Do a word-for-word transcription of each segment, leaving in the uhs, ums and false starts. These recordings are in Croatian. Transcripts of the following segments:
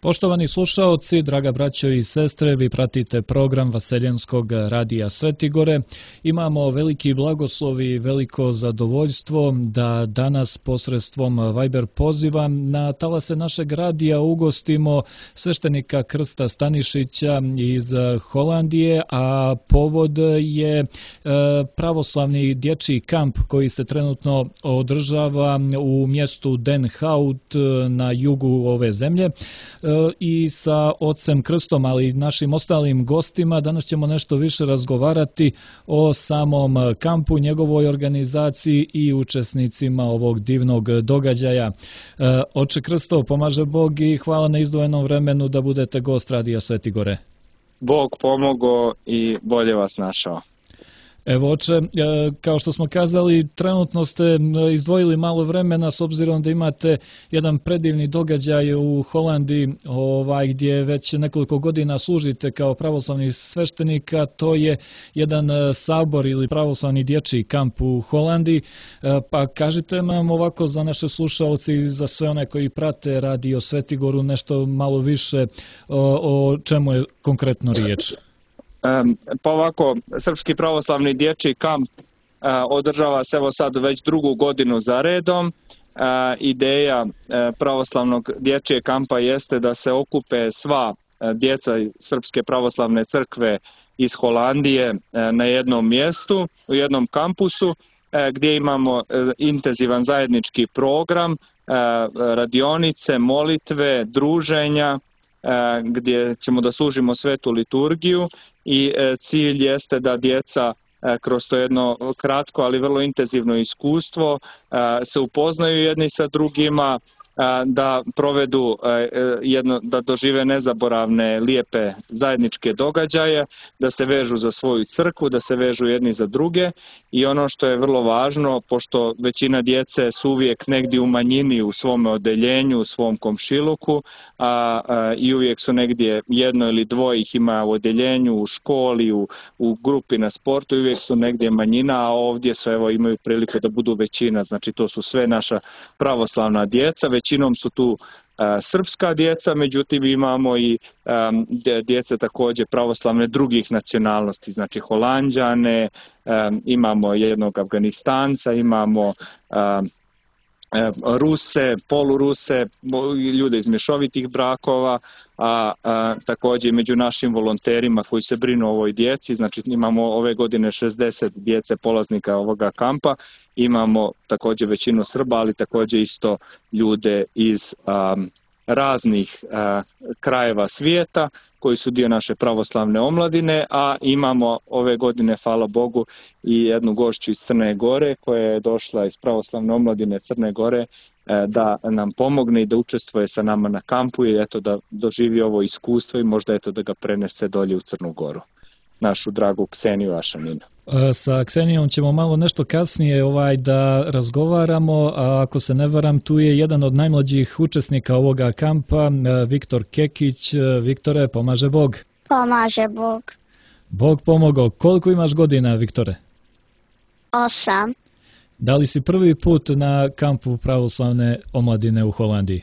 Poštovani slušaoci, draga braćo i sestre, vi pratite program Vaseljenskog radija Svetigore. Imamo veliki blagoslov i veliko zadovoljstvo da danas posredstvom Viber poziva na talase našeg radija ugostimo sveštenika Krsta Stanišića iz Holandije, a povod je pravoslavni dječji kamp koji se trenutno održava u mjestu Den Hout na jugu ove zemlje. I sa ocem Krstom, ali i našim ostalim gostima danas ćemo nešto više razgovarati o samom kampu, njegovoj organizaciji i učesnicima ovog divnog događaja. Oče Krsto, pomaže Bog i hvala na izdvojenom vremenu da budete gost radija Svetigore. Bog pomogao i bolje vas našao. Evo, oče, kao što smo kazali, trenutno ste izdvojili malo vremena s obzirom da imate jedan predivni događaj u Holandiji, ovaj, gdje već nekoliko godina služite kao pravoslavni sveštenik, a to je jedan sabor ili pravoslavni dječji kamp u Holandiji. Pa kažite nam ovako za naše slušaoci i za sve one koji prate radio Svetigoru nešto malo više o, o čemu je konkretno riječ. Pa ovako, Srpski pravoslavni dječji kamp održava se evo sad već drugu godinu za redom. Ideja pravoslavnog dječjeg kampa jeste da se okupe sva djeca Srpske pravoslavne crkve iz Holandije na jednom mjestu, u jednom kampusu, gdje imamo intenzivan zajednički program, radionice, molitve, druženja, gdje ćemo da služimo svetu liturgiju i cilj jeste da djeca kroz to jedno kratko, ali vrlo intenzivno iskustvo se upoznaju jedni sa drugima, da provedu jedno, da dožive nezaboravne, lijepe zajedničke događaje, da se vežu za svoju crkvu, da se vežu jedni za druge i ono što je vrlo važno, pošto većina djece su uvijek negdje u manjini u svom odeljenju, u svom komšiluku a, a, i uvijek su negdje jedno ili dvoje ih ima u odeljenju, u školi, u, u grupi na sportu i uvijek su negdje manjina, a ovdje su evo imaju priliku da budu većina, znači to su sve naša pravoslavna djeca. Većinom su tu a, srpska djeca, međutim imamo i a, djece također pravoslavne drugih nacionalnosti, znači Holanđane, a, imamo jednog Afganistanca, imamo a, Ruse, poluruse, ljude iz mješovitih brakova, a, a također među našim volonterima koji se brinu o ovoj djeci, znači imamo ove godine šezdeset djece polaznika ovoga kampa, imamo također većinu Srba, ali također isto ljude iz a, raznih a, krajeva svijeta koji su dio naše pravoslavne omladine, a imamo ove godine, hvala Bogu, i jednu gošću iz Crne Gore koja je došla iz pravoslavne omladine Crne Gore da nam pomogne i da učestvuje sa nama na kampu i eto da doživi ovo iskustvo i možda eto da ga prenese dolje u Crnu Goru. Našu dragu Kseniju Ašaninu. Sa Ksenijom ćemo malo nešto kasnije ovaj da razgovaramo, a ako se ne varam, tu je jedan od najmlađih učesnika ovoga kampa, Viktor Kekić. Viktore, pomaže Bog. Pomaže Bog. Bog pomogao. Koliko imaš godina, Viktore? Osam. Da li si prvi put na kampu pravoslavne omladine u Holandiji?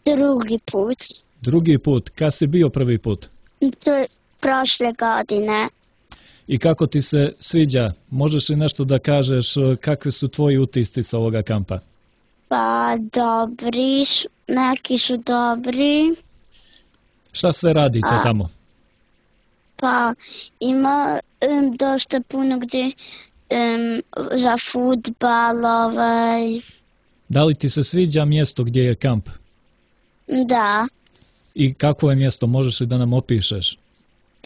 Drugi put. Drugi put. Kad si bio prvi put? To je prošle godine. I kako ti se sviđa? Možeš li nešto da kažeš kakvi su tvoji utisci sa ovoga kampa? Pa dobri, neki su dobri. Šta sve radite A, tamo? Pa ima um, dosta puno gdje um, za fudbal. Ovaj. Da li ti se sviđa mjesto gdje je kamp? Da. I kako je mjesto? Možeš li da nam opišeš?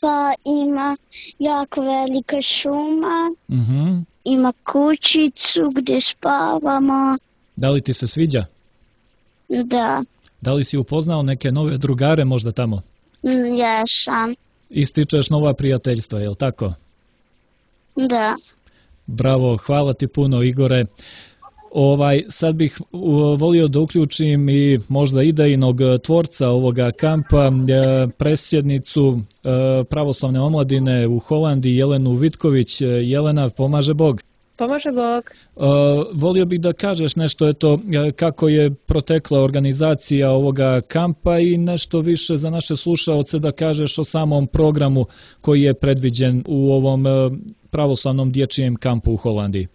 Pa ima jako velika šuma, Uh-huh. ima kućicu gdje spavamo. Da li ti se sviđa? Da, Da li si upoznao neke nove drugare možda tamo? jesam. Ističeš nova prijateljstva, je li tako? Da. Bravo, hvala ti puno, Igore. Ovaj, sad bih uh, volio da uključim i možda idejnog tvorca ovoga kampa, uh, predsjednicu uh, pravoslavne omladine u Holandiji, Jelenu Vitković. Jelena, pomaže Bog. Pomaže Bog. Uh, volio bih da kažeš nešto eto, kako je protekla organizacija ovoga kampa i nešto više za naše slušaoce da kažeš o samom programu koji je predviđen u ovom uh, pravoslavnom dječjem kampu u Holandiji.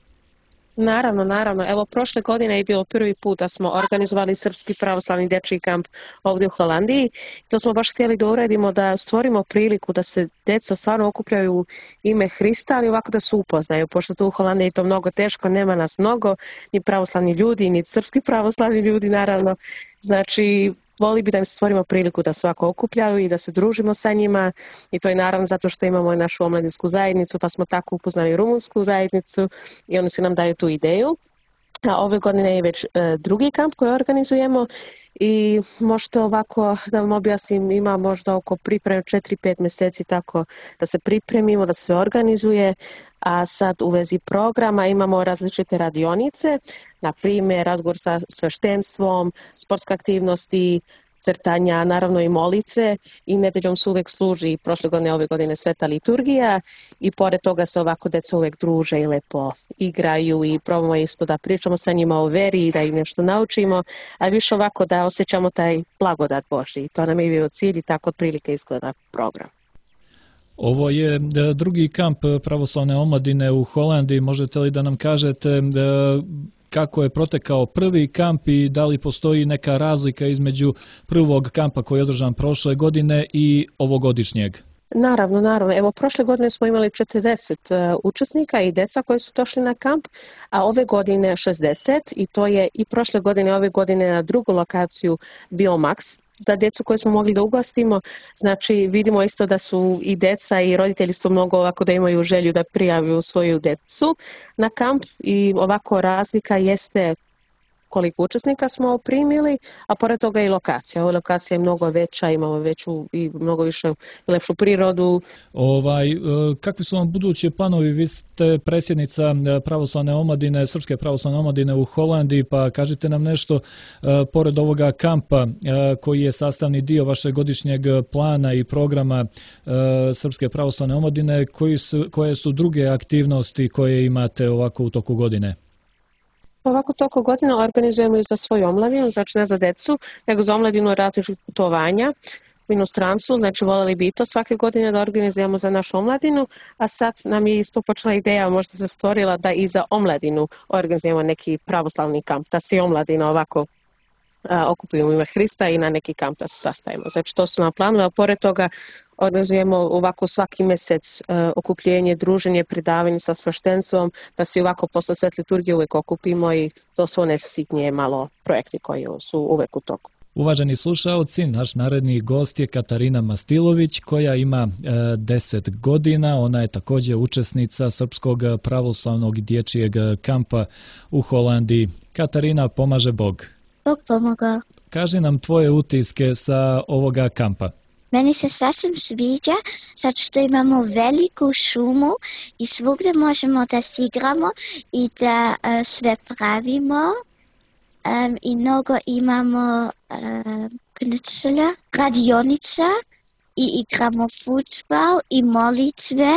Naravno, naravno. Evo, prošle godine je bilo prvi put da smo organizovali Srpski pravoslavni dječji kamp ovdje u Holandiji. To smo baš htjeli da uredimo, da stvorimo priliku da se djeca stvarno okupljaju u ime Hrista, ali ovako da se upoznaju, pošto tu u Holandiji je to mnogo teško, nema nas mnogo, ni pravoslavni ljudi, ni srpski pravoslavni ljudi, naravno. Znači, voli bi da im stvorimo priliku da svako okupljaju i da se družimo sa njima i to je naravno zato što imamo i našu omladinsku zajednicu pa smo tako upoznali rumunsku zajednicu i oni su nam daju tu ideju. A ove godine je već e, drugi kamp koji organizujemo i možete ovako da vam objasnim, ima možda oko pripreme četiri pet mjeseci tako da se pripremimo, da se organizuje, a sad u vezi programa imamo različite radionice, na primjer razgovor sa sveštenstvom, sportske aktivnosti, crtanja, naravno i molitve i nedeljom se uvijek služi, prošle godine, ove godine sveta liturgija i pored toga se ovako djeca uvijek druže i lepo igraju i probamo isto da pričamo sa njima o veri i da ih nešto naučimo, a više ovako da osjećamo taj blagodat Božji. To nam je bio cilj i tako otprilike izgleda program. Ovo je drugi kamp pravoslavne omladine u Holandiji. Možete li da nam kažete kako je protekao prvi kamp i da li postoji neka razlika između prvog kampa koji je održan prošle godine i ovogodišnjeg? Naravno, naravno. Evo, prošle godine smo imali četrdeset uh, učesnika i djeca koji su došli na kamp, a ove godine šezdeset i to je i prošle godine i ove godine na drugu lokaciju bio maks za djecu koju smo mogli da ugostimo. Znači, vidimo isto da su i djeca i roditelji su mnogo ovako da imaju želju da prijavljuju svoju djecu na kamp i ovako razlika jeste koliko učesnika smo primili, a pored toga i lokacija. Ova lokacija je mnogo veća, imamo veću i mnogo više lepšu prirodu. Ovaj, kakvi su vam budući planovi? Vi ste predsjednica pravoslavne omladine, Srpske pravoslavne omladine u Holandiji, pa kažite nam nešto pored ovoga kampa koji je sastavni dio vašeg godišnjeg plana i programa Srpske pravoslavne omladine, koji su, koje su druge aktivnosti koje imate ovako u toku godine? Ovako toliko godina organizujemo i za svoju omladinu, znači ne za decu, nego za omladinu različitih putovanja u inostranstvu, znači voljeli bi i to svake godine da organizujemo za našu omladinu, a sad nam je isto počela ideja, možda se stvorila da i za omladinu organizujemo neki pravoslavni kamp, da se i omladina ovako a, okupimo u ime Hrista i na neki kamp da se sastavimo. Znači to su nam planovi, a pored toga organizujemo ovako svaki mjesec uh, okupljenje, druženje, predavanje sa sveštenstvom, da se ovako posle svet liturgije uvijek okupimo i to su one sitnije malo projekti koji su uvijek u toku. Uvaženi slušaoci, naš naredni gost je Katarina Mastilović koja ima e, deset godina. Ona je također učesnica Srpskog pravoslavnog dječjeg kampa u Holandiji. Katarina, pomaže Bog. Bog pomoga. Kaži nam tvoje utiske sa ovoga kampa. Meni se sasvim sviđa, zato što imamo veliku šumu i svugdje možemo da se igramo i da uh, sve pravimo. Um, I mnogo imamo uh, knucela, radionica i igramo futsbal i molitve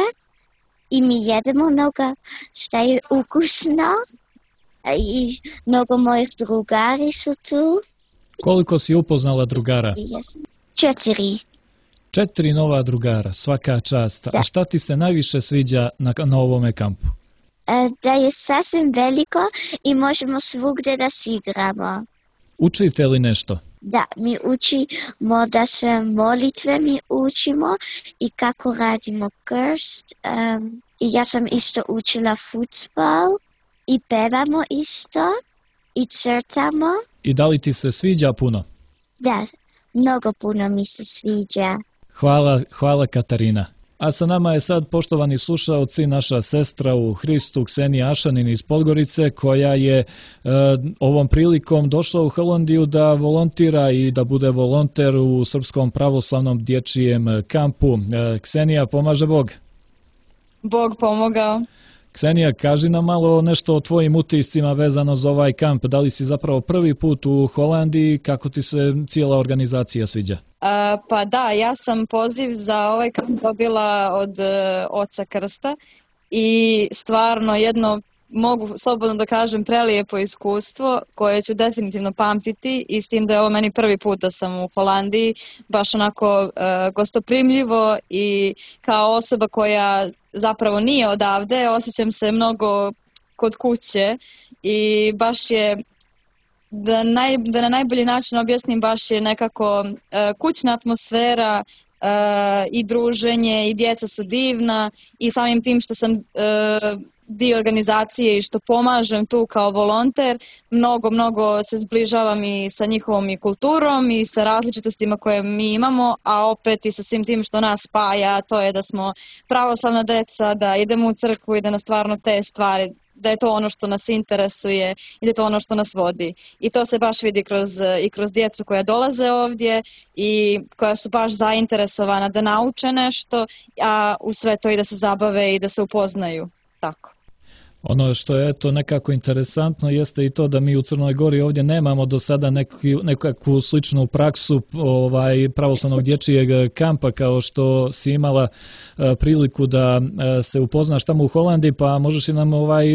i mi jedemo mnogo što je ukusno i mnogo mojih drugari su tu. Koliko si upoznala drugara? Četiri. Četiri nova drugara, svaka čast. Da. A šta ti se najviše sviđa na, na ovome kampu? E, da je sasvim veliko i možemo svugdje da se igramo. Učite li nešto? Da, mi učimo da se molitve mi učimo i kako radimo krst. Um, I ja sam isto učila futsbal i pevamo isto i crtamo. I da li ti se sviđa puno? Da, mnogo puno mi se sviđa. Hvala, hvala Katarina. A sa nama je sad, poštovani slušaoci, naša sestra u Hristu Ksenija Ašanin iz Podgorice, koja je e, ovom prilikom došla u Holandiju da volontira i da bude volonter u Srpskom pravoslavnom dječjem kampu. E, Ksenija, pomaže Bog. Bog pomogao. Ksenija, kaži nam malo nešto o tvojim utiscima vezano za ovaj kamp. Da li si zapravo prvi put u Holandiji, kako ti se cijela organizacija sviđa? Uh, pa da, ja sam poziv za ovaj kamp dobila od uh, oca Krsta i stvarno jedno mogu slobodno da kažem, prelijepo iskustvo koje ću definitivno pamtiti i s tim da je ovo meni prvi put da sam u Holandiji, baš onako uh, gostoprimljivo i kao osoba koja zapravo nije odavde, osjećam se mnogo kod kuće i baš je, da, naj, da na najbolji način objasnim, baš je nekako uh, kućna atmosfera uh, i druženje i djeca su divna i samim tim što sam uh, dio organizacije i što pomažem tu kao volonter, mnogo, mnogo se zbližavam i sa njihovom i kulturom i sa različitostima koje mi imamo, a opet i sa svim tim što nas spaja, to je da smo pravoslavna deca, da idemo u crkvu i da nas stvarno te stvari, da je to ono što nas interesuje i da je to ono što nas vodi. I to se baš vidi kroz, i kroz djecu koja dolaze ovdje i koja su baš zainteresovana da nauče nešto, a u sve to i da se zabave i da se upoznaju. Tako. Ono što je to nekako interesantno jeste i to da mi u Crnoj Gori ovdje nemamo do sada neku, nekakvu sličnu praksu ovaj, pravoslavnog dječjeg kampa kao što si imala e, priliku da e, se upoznaš tamo u Holandiji, pa možeš li nam ovaj,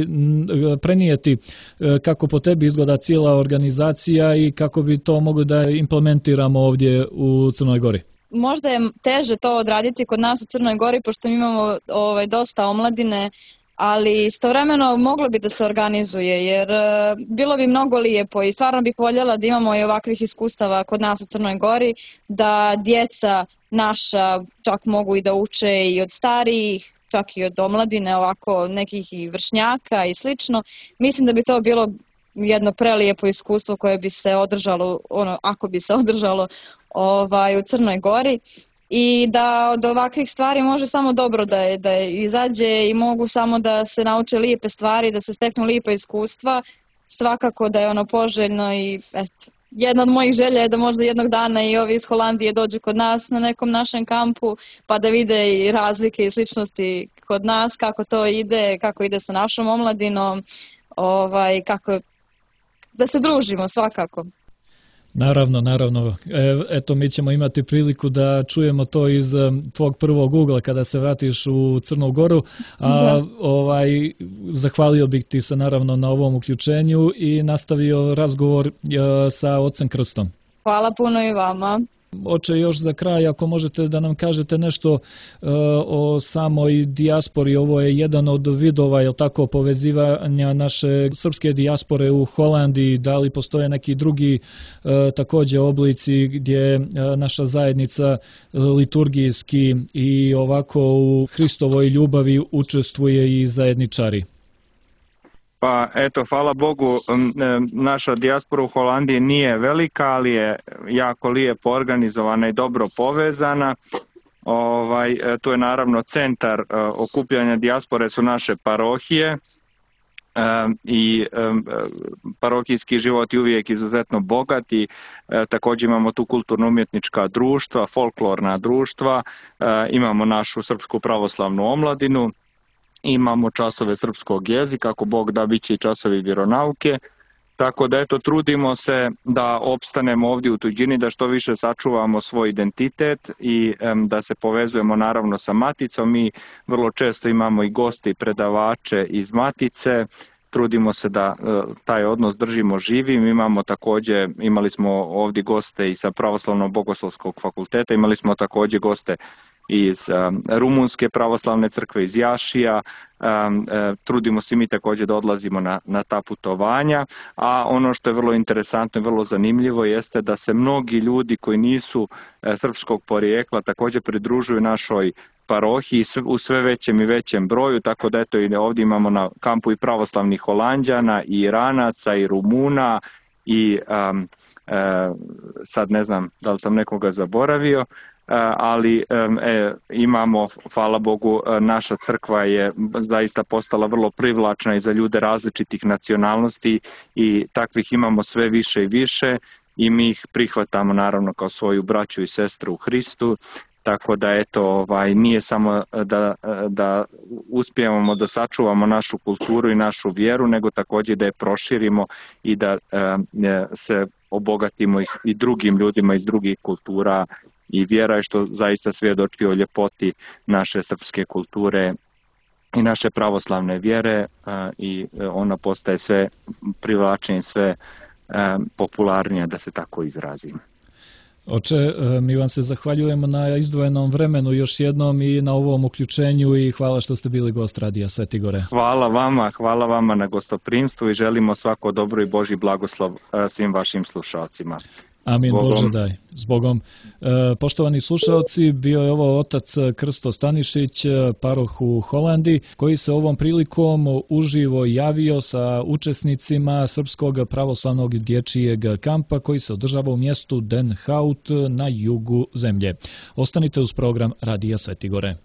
prenijeti e, kako po tebi izgleda cijela organizacija i kako bi to mogli da implementiramo ovdje u Crnoj Gori? Možda je teže to odraditi kod nas u Crnoj Gori, pošto mi imamo ovaj, dosta omladine, ali istovremeno moglo bi da se organizuje, jer uh, bilo bi mnogo lijepo i stvarno bih voljela da imamo i ovakvih iskustava kod nas u Crnoj Gori, da djeca naša čak mogu i da uče i od starijih, čak i od omladine, ovako nekih i vršnjaka i slično. Mislim da bi to bilo jedno prelijepo iskustvo koje bi se održalo, ono, ako bi se održalo ovaj, u Crnoj Gori. I da od ovakvih stvari može samo dobro da, je, da je izađe i mogu samo da se nauče lijepe stvari, da se steknu lijepa iskustva, svakako da je ono poželjno i eto, jedna od mojih želja je da možda jednog dana i ovi iz Holandije dođu kod nas na nekom našem kampu pa da vide i razlike i sličnosti kod nas, kako to ide, kako ide sa našom omladinom, ovaj, kako, da se družimo svakako. Naravno, naravno. E, eto, mi ćemo imati priliku da čujemo to iz tvog prvog ugla kada se vratiš u Crnu Goru, a ovaj, zahvalio bih ti se naravno na ovom uključenju i nastavio razgovor e, sa ocem Krstom. Hvala puno i vama. Oče, još za kraj, ako možete da nam kažete nešto uh, o samoj dijaspori, ovo je jedan od vidova, jel tako, povezivanja naše srpske dijaspore u Holandiji, da li postoje neki drugi uh, također oblici gdje uh, naša zajednica uh, liturgijski i ovako u Hristovoj ljubavi učestvuje i zajedničari? Pa eto, hvala Bogu, naša dijaspora u Holandiji nije velika, ali je jako lijepo organizovana i dobro povezana. Ovaj, tu je naravno centar okupljanja dijaspore su naše parohije i parohijski život je uvijek izuzetno bogat i također imamo tu kulturno-umjetnička društva, folklorna društva, imamo našu srpsku pravoslavnu omladinu, imamo časove srpskog jezika, ako Bog da, bit će i časovi vjeronauke, tako da eto, trudimo se da opstanemo ovdje u tuđini, da što više sačuvamo svoj identitet i em, da se povezujemo naravno sa maticom. Mi vrlo često imamo i goste i predavače iz matice, trudimo se da e, taj odnos držimo živim. Imamo također, imali smo ovdje goste i sa Pravoslavnog bogoslovskog fakulteta, imali smo također goste iz um, Rumunske pravoslavne crkve, iz Jašija, um, uh, trudimo se mi također da odlazimo na, na ta putovanja, a ono što je vrlo interesantno i vrlo zanimljivo jeste da se mnogi ljudi koji nisu uh, srpskog porijekla također pridružuju našoj parohiji u sve većem i većem broju, tako da eto i ovdje imamo na kampu i pravoslavnih Holanđana, i Iranaca, i Rumuna, i um, uh, sad ne znam da li sam nekoga zaboravio, ali e, imamo, hvala Bogu, naša crkva je zaista postala vrlo privlačna i za ljude različitih nacionalnosti i takvih imamo sve više i više i mi ih prihvatamo naravno kao svoju braću i sestru u Hristu, tako da eto, ovaj, nije samo da, da uspijemo da sačuvamo našu kulturu i našu vjeru, nego također da je proširimo i da e, se obogatimo i, i drugim ljudima iz drugih kultura i vjera je što zaista svjedoči o ljepoti naše srpske kulture i naše pravoslavne vjere i ona postaje sve privlačnije, sve popularnija, da se tako izrazim. Oče, mi vam se zahvaljujemo na izdvojenom vremenu još jednom i na ovom uključenju i hvala što ste bili gost Radija Sveti Gore. Hvala vama, hvala vama na gostoprimstvu i želimo svako dobro i Božji blagoslov svim vašim slušalcima. Amin, Bože daj. Zbogom. E, poštovani slušalci, bio je ovo otac Krsto Stanišić, paroh u Holandiji, koji se ovom prilikom uživo javio sa učesnicima Srpskog pravoslavnog dječjeg kampa koji se održava u mjestu Den Hout na jugu zemlje. Ostanite uz program Radija Sveti Gore.